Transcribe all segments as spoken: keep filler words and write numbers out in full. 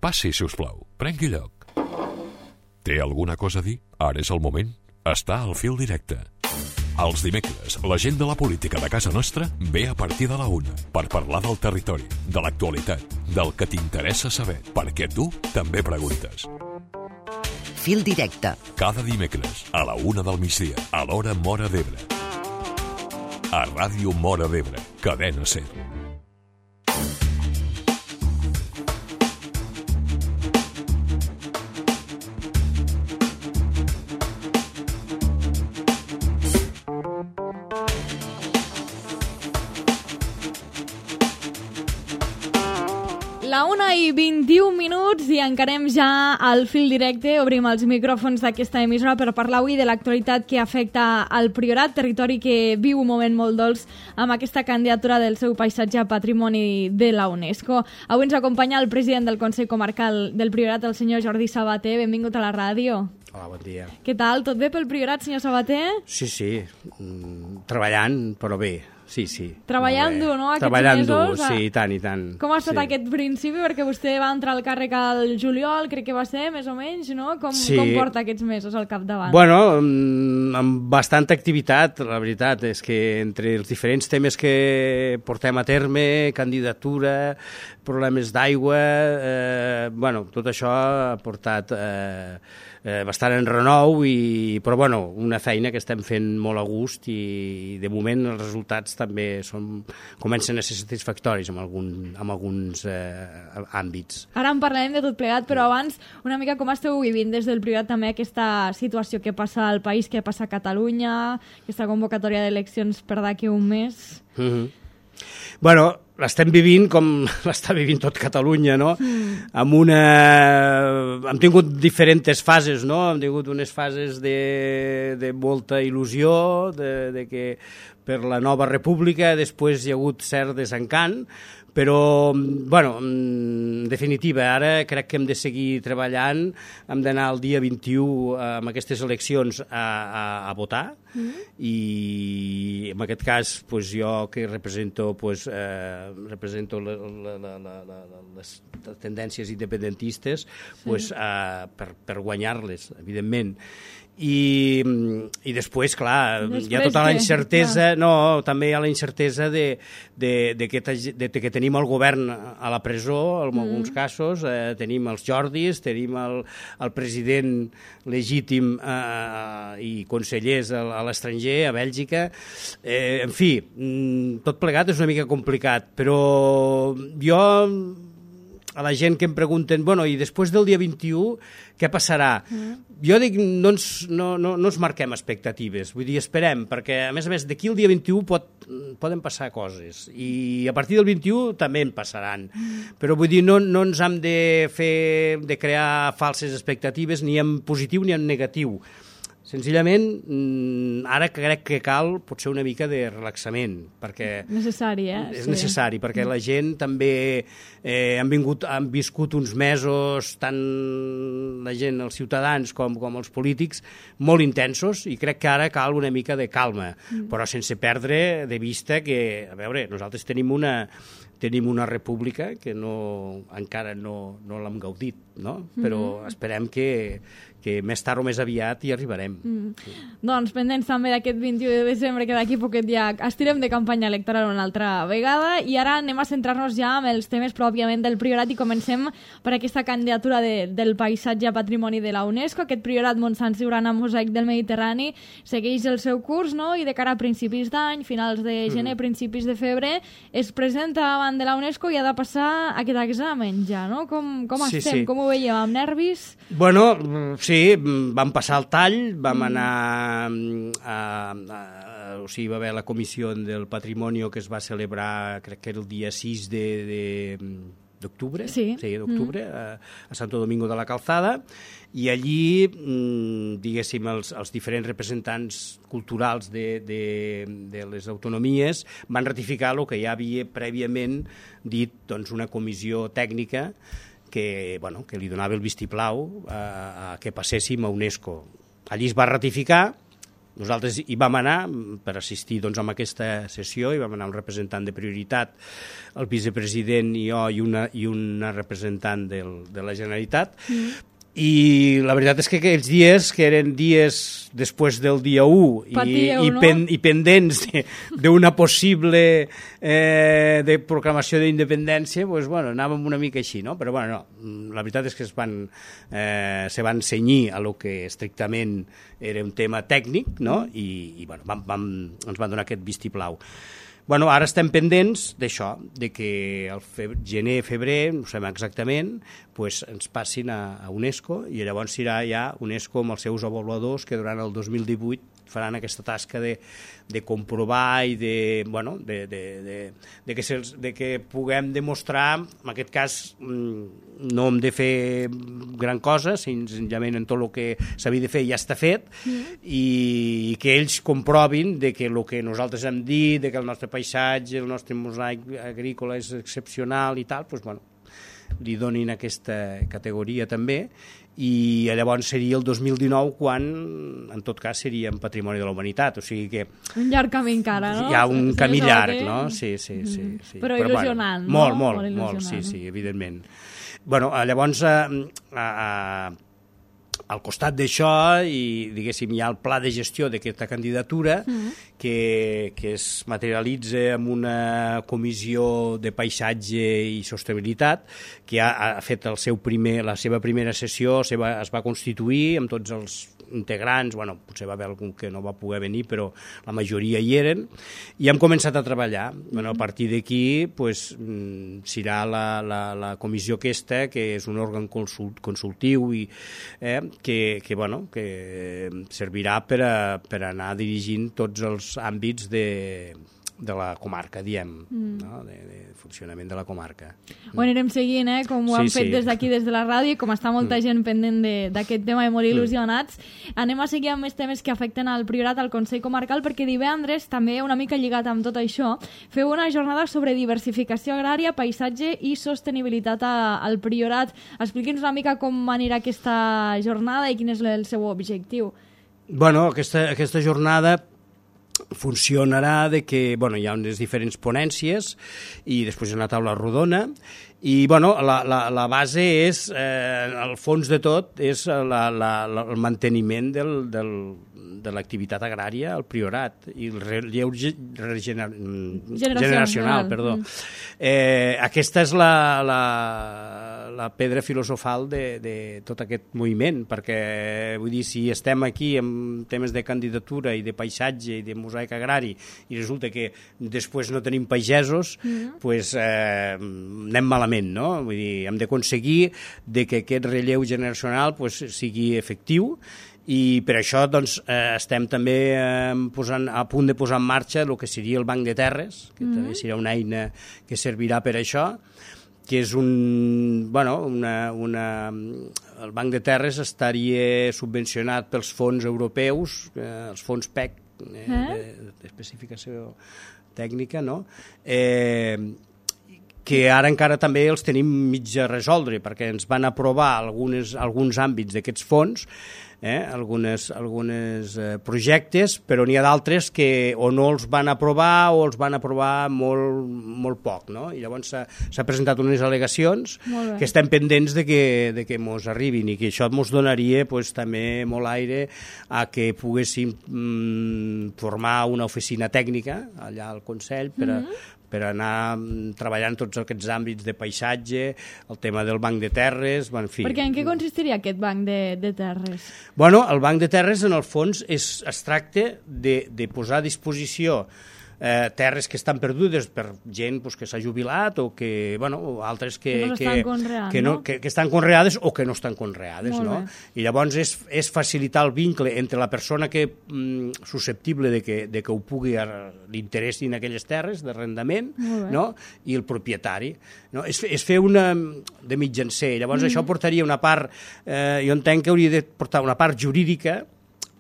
Passi, si us plau. Prengui lloc. Té alguna cosa a dir? Ara és el moment. Està al fil directe. Els dimecres, la gent de la política de casa nostra ve a partir de la una per parlar del territori, de l'actualitat, del que t'interessa saber, perquè tu també preguntes. Fil directe. Cada dimecres, a la una del migdia, a l'hora Móra d'Ebre. A Ràdio Móra d'Ebre, Cadena Ser. La una i vint-i-un minuts i encarem ja al fil directe. Obrim els micròfons d'aquesta emissora per parlar avui de l'actualitat que afecta al Priorat, territori que viu un moment molt dolç amb aquesta candidatura del seu paisatge a Patrimoni de la UNESCO. Avui ens acompanya el president del Consell Comarcal del Priorat, el senyor Jordi Sabater. Benvingut a la ràdio. Hola, bon dia. Què tal? Tot bé pel Priorat, senyor Sabater? Sí, sí, mm, treballant, però bé. Sí, sí. Treballant dur, no, aquests Treballant mesos? dur, sí, i tant, i tant. Com ha estat sí. aquest principi? Perquè vostè va entrar al càrrec al juliol, crec que va ser, més o menys, no? Com, sí. com porta aquests mesos al capdavant? Bueno, amb bastanta activitat, la veritat, és que entre els diferents temes que portem a terme, candidatura, problemes d'aigua, eh, bueno, tot això ha portat eh, eh, bastant en renou, i, però bueno, una feina que estem fent molt a gust i de moment els resultats també són, comencen a ser satisfactoris en, algun, en alguns eh, àmbits. Ara en parlarem de tot plegat, però abans una mica com esteu vivint des del Priorat també aquesta situació que passa al país, que passa a Catalunya, aquesta convocatòria d'eleccions per d'aquí un mes? Mm-hmm. Bueno, l'estem vivint com l'està vivint tot Catalunya, no? Mm. Amb una... Hem tingut diferents fases, no? Hem tingut unes fases de, de molta il·lusió, de, de que per la nova república, després hi ha hagut cert desencant, però, bueno, en definitiva, ara crec que hem de seguir treballant, hem d'anar el dia vint-i-u amb aquestes eleccions a, a, a votar, mm-hmm. i en aquest cas pues, jo que represento, pues, eh, represento la, la, la, la, la, les tendències independentistes, sí. pues, eh, per, per guanyar-les, evidentment. I, i després, clar, després hi ha tota la incertesa, que, no, també hi ha la incertesa de, de, de, que, de, de que tenim el govern a la presó, en mm. alguns casos, eh, tenim els Jordis, tenim el, el president legítim eh, i consellers a, a l'estranger, a Bèlgica, eh, en fi, tot plegat és una mica complicat, però jo... a la gent que em pregunten, bueno, i després del dia vint-i-u, què passarà? Mm. Jo dic, no ens, no, no, no ens marquem expectatives, vull dir, esperem, perquè, a més a més, d'aquí el dia vint-i-u pot, poden passar coses, i a partir del vint-i-u també en passaran, mm. però vull dir, no, no ens hem de fer, de crear falses expectatives, ni en positiu ni en negatiu. Senzillament, ara crec que cal potser una mica de relaxament, perquè... Necessari, eh? És sí. necessari, perquè la gent també eh, han, vingut, han viscut uns mesos, tant la gent, els ciutadans com, com els polítics, molt intensos, i crec que ara cal una mica de calma, mm. però sense perdre de vista que, a veure, nosaltres tenim una... tenim una república que no, encara no, no l'hem gaudit, no? Però mm-hmm. esperem que, que més tard o més aviat hi arribarem. Mm. Sí. Doncs pendents també d'aquest vint-i-u de desembre, que d'aquí poquet ja estirem de campanya electoral una altra vegada, i ara anem a centrar-nos ja amb els temes pròpiament del Priorat, i comencem per aquesta candidatura de, del paisatge a Patrimoni de la UNESCO. Aquest Priorat Montsant Siurana Mosaic del Mediterrani segueix el seu curs, no? I de cara a principis d'any, finals de gener, mm. principis de febrer, es presenta davant de la UNESCO i ha de passar aquest examen ja, no? Com, com sí, estem? Sí. Com ho veiem? Amb nervis? Bueno, sí, vam passar el tall, vam mm. anar a, a, a... O sigui, va haver la comissió del Patrimoni que es va celebrar, crec que era el dia sis de... de d'octubre, sí. sí, d'octubre, mm. a, a Santo Domingo de la Calzada, i allí, mmm, diguéssim, els, els diferents representants culturals de, de, de les autonomies van ratificar el que ja havia prèviament dit, doncs, una comissió tècnica que, bueno, que li donava el vistiplau a, a que passéssim a UNESCO. Allí es va ratificar, nosaltres hi vam anar per assistir doncs, a aquesta sessió, hi vam anar un representant de Prioritat, el vicepresident i jo i una, i una representant del, de la Generalitat, mm. I la veritat és que aquells dies, que eren dies després del dia u i, Patíeu, i, no? pen, i pendents d'una possible eh, de proclamació d'independència, doncs, bueno, anàvem una mica així, no? Però bueno, no, la veritat és que es van, eh, se van cenyir a lo que estrictament era un tema tècnic, no? I, i bueno, vam, vam, ens van donar aquest vistiplau. Bueno, ara estem pendents d'això, de que el febrer, gener, febrer, no sabem exactament, pues, ens passin a, a UNESCO i llavors serà ja UNESCO amb els seus avaluadors que durant el dos mil divuit faran aquesta tasca de, de comprovar i de, bueno, de, de, de, de, que se'ls, de que puguem demostrar, en aquest cas no hem de fer gran cosa, senzillament en tot el que s'havia de fer ja està fet, mm. i, i que ells comprovin de que el que nosaltres hem dit, de que el nostre paisatge, el nostre mosaic agrícola és excepcional i tal, doncs, bueno, li donin aquesta categoria també, i llavors seria el dos mil dinou quan, en tot cas, seria en Patrimoni de la Humanitat, o sigui que... Un llarg camí encara, no? Hi ha un sí, camí sí, llarg, que... no? Sí, sí, sí. sí. Però, Però il·lusionant, bueno, no? Molt, molt, molt, sí, sí, evidentment. Bueno, llavors, a, a, a, al costat d'això, i diguéssim, hi ha el pla de gestió d'aquesta candidatura, mm-hmm. que, que es materialitza amb una comissió de paisatge i sostenibilitat que ha, ha fet el seu primer, la seva primera sessió, se va, es va constituir amb tots els integrants, bueno, potser va haver algun que no va poder venir, però la majoria hi eren, i hem començat a treballar. Bueno, a partir d'aquí pues, serà la, la, la comissió aquesta, que és un òrgan consult, consultiu i, eh, que, que, bueno, que servirà per, a, per anar dirigint tots els àmbits de, de la comarca, diem, mm. no? de, de funcionament de la comarca. Ho anirem seguint, eh? Com ho sí, han fet sí. des d'aquí, des de la ràdio, i com està molta mm. gent pendent d'aquest tema i molt il·lusionats. Mm. Anem a seguir amb més temes que afecten al Priorat, al Consell Comarcal, perquè divendres, també una mica lligat amb tot això, feu una jornada sobre diversificació agrària, paisatge i sostenibilitat a, al Priorat. Expliqui'ns una mica com anirà aquesta jornada i quin és el seu objectiu. Bueno, aquesta, aquesta jornada funcionarà de que, bueno, hi ha unes diferents ponències i després hi ha una taula rodona i, bueno, la, la, la base és, eh, el fons de tot, és la, la, la, el manteniment del, del, de l'activitat agrària al Priorat i el relleu gener, generacional. Perdó. Mm. Eh, aquesta és la, la, la pedra filosofal de, de tot aquest moviment, perquè vull dir, si estem aquí amb temes de candidatura i de paisatge i de mosaic agrari i resulta que després no tenim pagesos, mm. pues, eh, anem malament, no? Vull dir, hem d'aconseguir de que aquest relleu generacional pues, sigui efectiu. I per això doncs, eh, estem també eh, posant, a punt de posar en marxa el que seria el Banc de Terres, que mm-hmm. també serà una eina que servirà per això, que és un... Bueno, una, una, el Banc de Terres estaria subvencionat pels fons europeus, eh, els fons P E C, eh, eh? d'especificació tècnica, no? Eh, que ara encara també els tenim mig a resoldre, perquè ens van aprovar algunes, alguns àmbits d'aquests fons, eh, algunes, algunes eh, projectes, però n'hi ha d'altres que o no els van aprovar o els van aprovar molt, molt poc, no? I llavors s'ha presentat unes al·legacions que estem pendents de que, de que mos arribin i que això mos donaria pues, també molt aire a que poguéssim mm, formar una oficina tècnica allà al Consell per a, mm-hmm. per anar treballant tots aquests àmbits de paisatge, el tema del banc de terres, en fi. Perquè en què consistiria aquest banc de, de terres? Bueno, el banc de terres, en el fons, és, es tracta de, de posar a disposició eh, terres que estan perdudes per gent pues, que s'ha jubilat o que, bueno, o altres que, que, no que, conreant, que, no, no? que, que estan conreades o que no estan conreades, no? I llavors és, és facilitar el vincle entre la persona que mm, susceptible de que, de que ho pugui, li interessin aquelles terres d'arrendament, no? I el propietari. No? És, és fer una de mitjancer. Llavors mm. això portaria una part, eh, jo entenc que hauria de portar una part jurídica,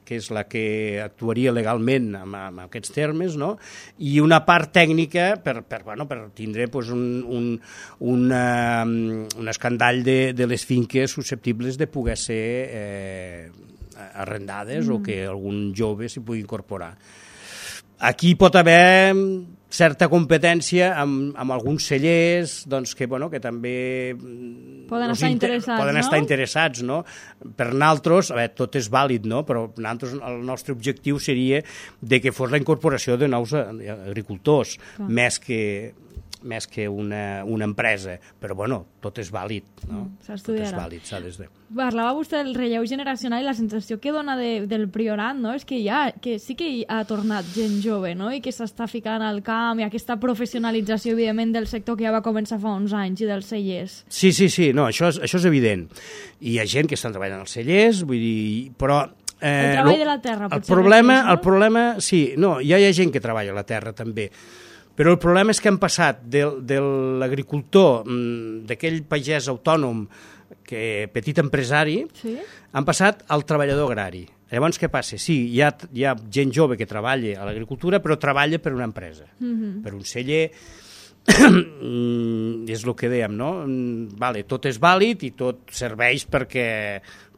que és la que actuaria legalment en, en aquests termes, no? I una part tècnica per, per, bueno, per tindre pues, un, un, una, un escandall de, de les finques susceptibles de poder ser eh, arrendades mm. o que algun jove s'hi pugui incorporar. Aquí pot haver certa competència amb, amb alguns cellers doncs, que, bueno, que també poden estar interessats, poden no? estar interessats, no? Per nosaltres, a veure, tot és vàlid, no? Però nosaltres, el nostre objectiu seria de que fos la incorporació de nous agricultors, Clar. més que més que una, una empresa, però bueno, tot és vàlid, no? Mm, s'estudiarà. Tot és vàlid, s'ha de... Parlava vostè del relleu generacional i la sensació que dona de, del Priorat, no? És que ja, que sí que ha tornat gent jove, no? I que s'està ficant al camp i aquesta professionalització, evidentment, del sector que ja va començar fa uns anys i dels cellers. Sí, sí, sí, no, això és, això és evident. I hi ha gent que estan treballant als cellers, vull dir, però... Eh, el treball de la terra, el potser. Problema, no? el problema, sí, no, ja hi ha gent que treballa a la terra, també. Però el problema és que hem passat de, de l'agricultor, d'aquell pagès autònom, que petit empresari, sí? han passat al treballador agrari. Llavors, què passa? Sí, hi ha, hi ha gent jove que treballa a l'agricultura, però treballa per una empresa, mm-hmm. per un celler. És el que dèiem, no? Vale, tot és vàlid i tot serveix perquè,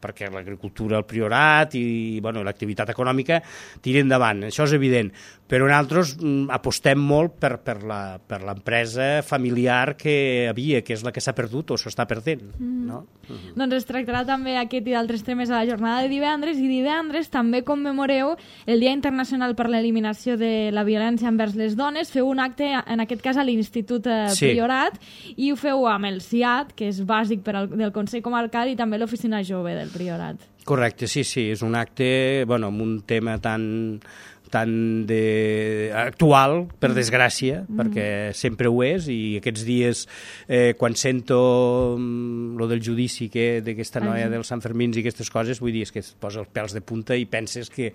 perquè l'agricultura, el Priorat i bueno, l'activitat econòmica tiri endavant, això és evident. Però nosaltres apostem molt per, per, la, per l'empresa familiar que havia, que és la que s'ha perdut o s'està perdent. Mm. No? Mm-hmm. Doncs es tractarà també aquest i d'altres temes a la jornada de divendres, i divendres també commemoreu el Dia Internacional per l'Eliminació de la Violència envers les Dones. Feu un acte, en aquest cas a l'Institut eh, sí. Priorat, i ho feu amb el C I A T, que és bàsic per al, del Consell Comarcal, i també l'Oficina Jove del Priorat. Correcte, sí, sí, és un acte, bueno, amb un tema tan... tan de... actual, per desgràcia, mm. perquè sempre ho és, i aquests dies, eh, quan sento mm, lo del judici que d'aquesta noia dels Sant Fermins i aquestes coses, vull dir, és que es posa els pèls de punta i penses que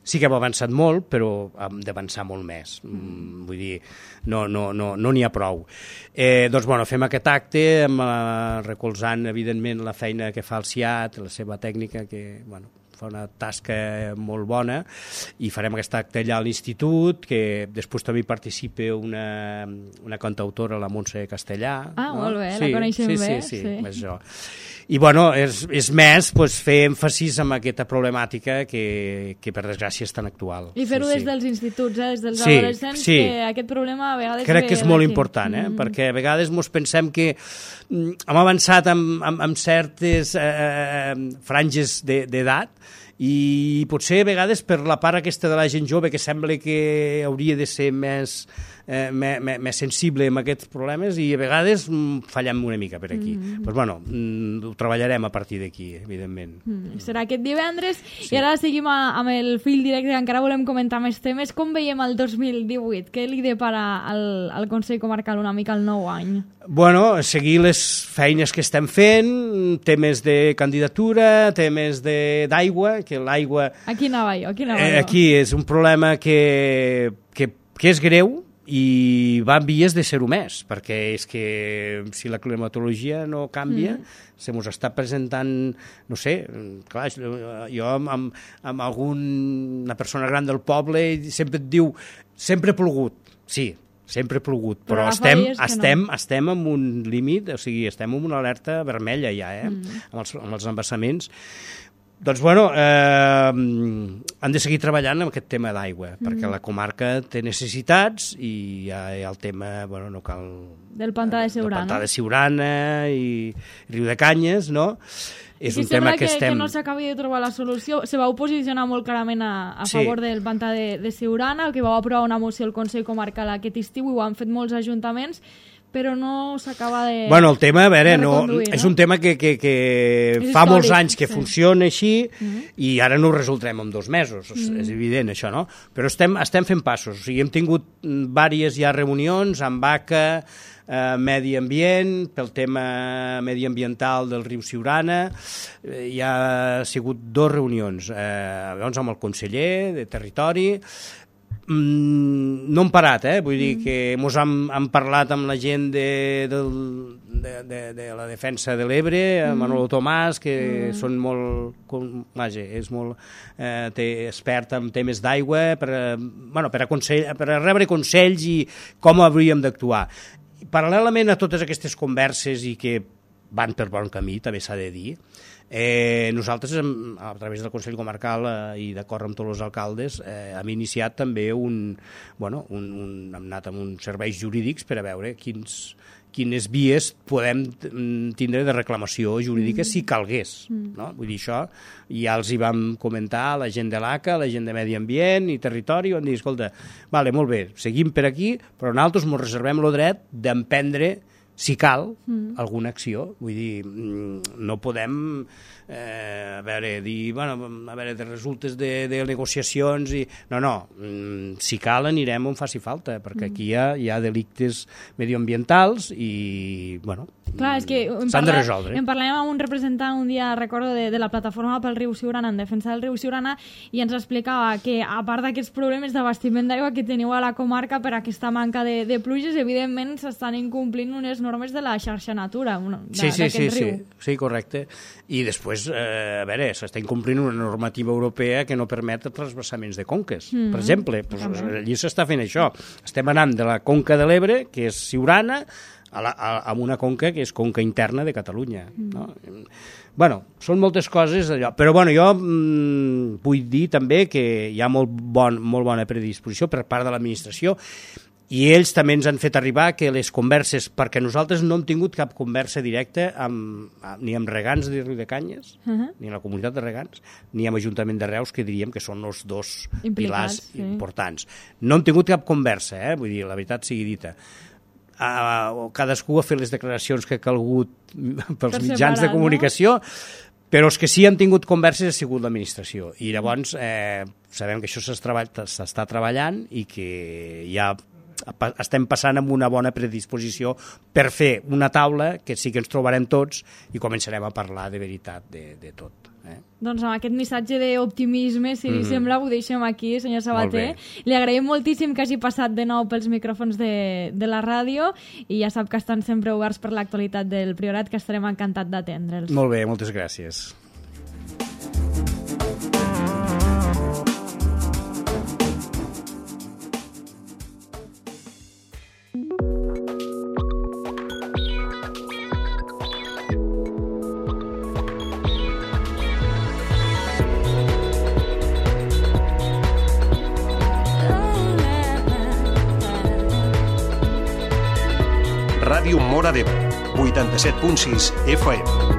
sí que hem avançat molt, però hem d'avançar molt més. Mm, vull dir, no n'hi no, no, no n'hi ha prou. Eh, doncs, bueno, fem aquest acte, amb, eh, recolzant, evidentment, la feina que fa el C I A T, la seva tècnica, que, bueno, fa una tasca molt bona, i farem aquest acte allà a l'institut, que després també hi participa una, una cantautora, la Montse Castellà. Ah, no? molt bé, sí, la coneixem sí, bé. Sí, sí, sí. sí, és això. I, bueno, és, és més pues, fer èmfasis en aquesta problemàtica que, que per desgràcia és tan actual. I fer-ho sí, des sí. dels instituts, eh? Des dels sí, adolescents, sí. que aquest problema a vegades... Crec que és molt d'aquí. important, eh? Mm. Perquè a vegades ens pensem que mm, hem avançat amb, amb, amb certes eh, franges d'edat, i potser a vegades per la part aquesta de la gent jove que sembla que hauria de ser més, eh, més, més sensible amb aquests problemes, i a vegades mm, fallem una mica per aquí. Mm. Pues, bueno, mm, ho treballarem a partir d'aquí, evidentment. Mm. Serà aquest divendres, sí. I ara seguim a, amb el fil directe, que encara volem comentar més temes. Com veiem el dos mil divuit? Què li depara al, al Consell Comarcal una mica el nou any? Bueno, seguir les feines que estem fent, temes de candidatura, temes d'aigua, que l'aigua... Aquí anava jo, aquí anava eh, jo. Aquí és un problema que, que, que és greu i va en vies de ser-ho més, perquè és que si la climatologia no canvia, mm. se mos està presentant, no sé, clar, jo amb, amb, amb alguna persona gran del poble sempre et diu, sempre ha plogut, sí, sempre ha plogut, però, però estem, estem, no. estem en un límit, o sigui, estem en una alerta vermella ja, eh, mm. amb, els, amb els embassaments. Doncs, bueno, eh, han de seguir treballant amb aquest tema d'aigua, mm. perquè la comarca té necessitats i hi ha, hi ha el tema, bueno, no cal... Del pantà de Siurana. Del pantà de Siurana i Riu de Canyes, no? És I un tema que, que estem... que no s'acabi de trobar la solució. Se vau posicionar molt clarament a, a sí. favor del pantà de, de Siurana, que vau aprovar una moció al Consell Comarcal aquest estiu, i ho han fet molts ajuntaments, però no s'acaba de Bueno, el tema, a veure, no, no? és un tema que, que, que fa històric, molts anys que sí. funciona així, mm-hmm. i i ara no ho resoldrem en dos mesos, mm-hmm. és evident això, no? Però estem, estem fent passos, o sigui, hem tingut diverses ja reunions amb A C A, eh, Medi Ambient, pel tema mediambiental del riu Siurana, eh, hi ha sigut dues reunions, eh, llavors amb el conseller de Territori. Mm, no hem parat, eh? Vull dir que mos hem, hem parlat amb la gent de, del, de, de, de la defensa de l'Ebre, mm. Manolo Tomàs, que mm. són molt, com, vaja, és molt eh, té, expert en temes d'aigua, per, bueno, per, a consell, per a rebre consells i com hauríem d'actuar. Paral·lelament a totes aquestes converses i que van per bon camí, també s'ha de dir. Eh, nosaltres, a través del Consell Comarcal eh, i d'acord amb tots els alcaldes, eh, hem iniciat també un... Bueno, un, un, hem anat amb uns serveis jurídics per a veure quins, quines vies podem tindre de reclamació jurídica mm. si calgués. Mm. No? Vull dir, això ja els hi vam comentar a la gent de l'A C A, la gent de Medi Ambient i Territori, van dir, escolta, vale, molt bé, seguim per aquí, però nosaltres ens reservem el dret d'emprendre, si cal, mm. alguna acció. Vull dir, no podem eh, a veure, dir, bueno, a veure, de resultes de, de negociacions i... No, no, si cal anirem on faci falta, perquè aquí hi ha, hi ha delictes medioambientals i, bueno, clar, és que s'han de resoldre. En parlàvem amb un representant un dia, recordo, de, de la plataforma pel riu Siurana, en defensa del riu Siurana, i ens explicava que, a part d'aquests problemes d'abastiment d'aigua que teniu a la comarca per aquesta manca de, de pluges, evidentment s'estan incomplint unes normes de la xarxa Natura, sí, sí, sí, sí, sí, correcte. I després, eh, a veure, s'està incomplint una normativa europea que no permet transvasaments de conques. Mm-hmm. Per exemple, doncs, allí s'està fent això. Estem anant de la conca de l'Ebre, que és Siurana, a, la, a, a una conca que és conca interna de Catalunya. Mm. No? Bueno, són moltes coses allò. Però bueno, jo mm, vull dir també que hi ha molt, bon, molt bona predisposició per part de l'administració i ells també ens han fet arribar que les converses, perquè nosaltres no hem tingut cap conversa directa amb, ni amb regants de Riu de Canyes, uh-huh. ni amb la comunitat de regants, ni amb l'Ajuntament de Reus, que diríem que són els dos implicats, pilars sí. importants. No hem tingut cap conversa, eh? Vull dir, la veritat sigui dita. Uh, cadascú ha fet les declaracions que ha calgut pels per mitjans separat, de comunicació, no? Però els que sí han tingut converses ha sigut l'administració. I llavors eh, sabem que això s'està treballant i que ja estem passant amb una bona predisposició per fer una taula que sí que ens trobarem tots i començarem a parlar de veritat de, de tot. Eh? Doncs amb aquest missatge d'optimisme, si li mm. sembla, ho deixem aquí, senyor Sabater. Li agraïm moltíssim que hagi passat de nou pels micròfons de, de la ràdio i ja sap que estan sempre oberts per l'actualitat del Priorat, que estarem encantats d'atendre'ls. Molt bé, moltes gràcies. Ràdio Móra d'Ebre, vuitanta-set punt sis F M.